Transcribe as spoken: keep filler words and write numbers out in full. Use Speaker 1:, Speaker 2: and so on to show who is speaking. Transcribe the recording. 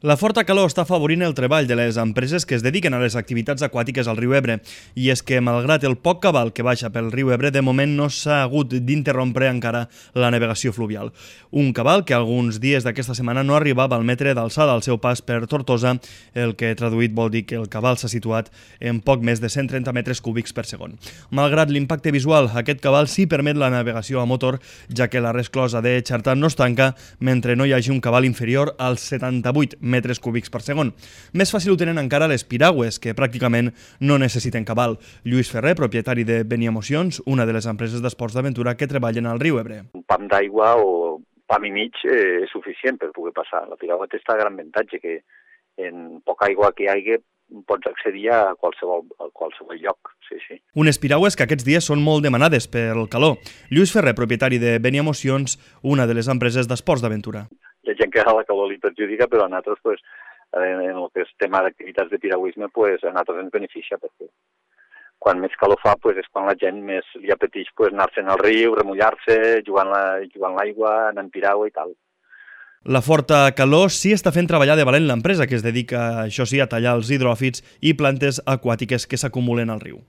Speaker 1: La forta calor està afavorint el treball de les empreses que es dediquen a les activitats aquàtiques al riu Ebre. I és que, malgrat el poc cabal que baixa pel riu Ebre, de moment no s'ha hagut d'interrompre encara la navegació fluvial. Un cabal que alguns dies d'aquesta setmana no arribava al metre d'alçada al seu pas per Tortosa, el que traduït vol dir que el cabal s'ha situat en poc més de cent trenta metres cúbics per segon. Malgrat l'impacte visual, aquest cabal sí permet la navegació a motor, ja que la resclosa de Xarta no es tanca mentre no hi hagi un cabal inferior als setanta-vuit metres cúbics per segon. Més fàcil ho tenen encara les piragües, que pràcticament no necessiten cabal. Lluís Ferrer, propietari de Beniamocions, una de les empreses d'esports d'aventura que treballen al riu Ebre.
Speaker 2: Un pam d'aigua o pam i mig eh, és suficient per poder passar. La piragua té aquest gran avantatge que en poca aigua que hi hagi pots accedir a qualsevol, a qualsevol lloc. Sí, sí.
Speaker 1: Unes piragües que aquests dies són molt demanades pel calor. Lluís Ferrer, propietari de Beniamocions, una de les empreses d'esports d'aventura.
Speaker 2: Hi ha gent que a la calor li perjudica, però a nosaltres, pues, en el que és tema d'activitats de piragüisme, pues, a nosaltres ens beneficia, perquè quan més calor fa pues, és quan la gent més li apeteix pues, anar-se'n al riu, remullar-se, jugant l'aigua, anar en piragua i tal.
Speaker 1: La forta calor sí està fent treballar de valent l'empresa, que es dedica, això sí, a tallar els hidròfits i plantes aquàtiques que s'acumulen al riu.